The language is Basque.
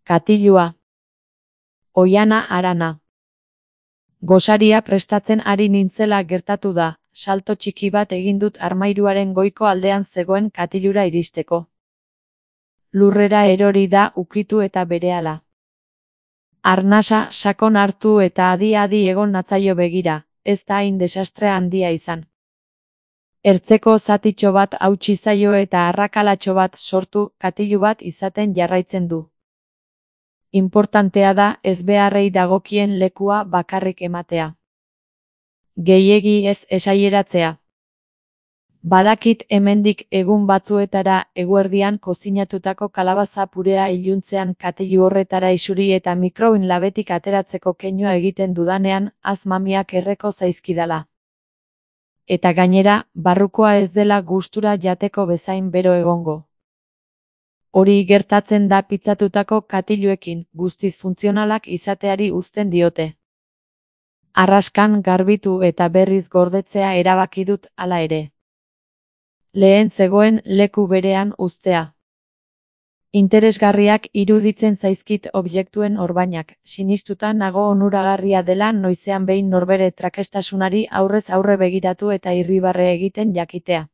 Katilua. Oihana harana. Gosaria prestatzen ari nintzela gertatu da, salto txiki bat egin dut armairuaren goiko aldean zegoen katilura iristeko. Lurrera erori da ukitu eta berehala. Arnasa sakon hartu eta adi-adi egon natzaio begira, ez da hain desastre handia izan. Ertzeko zatitxo bat hautsi zaio eta arrakalatxo bat sortu, katilu bat izaten jarraitzen du. Inportantea da ezbeharrei dagokien lekua bakarrik ematea. Gehiegi ez esaieratzea. Badakit hemendik egun batzuetara eguerdian kozinatutako kalabaza purea iluntzean katilu horretara isuri eta mikroin labetik ateratzeko keinua egiten dudanean, mamiak erreko zaizkidala. Eta gainera, barrukoa ez dela gustura jateko bezain bero egongo. Hori gertatzen da pitzatutako katiluekin, guztiz funtzionalak izateari uzten diote. Arraskan garbitu eta berriz gordetzea erabaki dut hala ere. Lehen zegoen leku berean uztea. Interesgarriak iruditzen zaizkit objektuen orbainak, sinistuta nago onuragarria dela noizean behin norbere trakestasunari aurrez aurre begiratu eta irribarre egiten jakitea.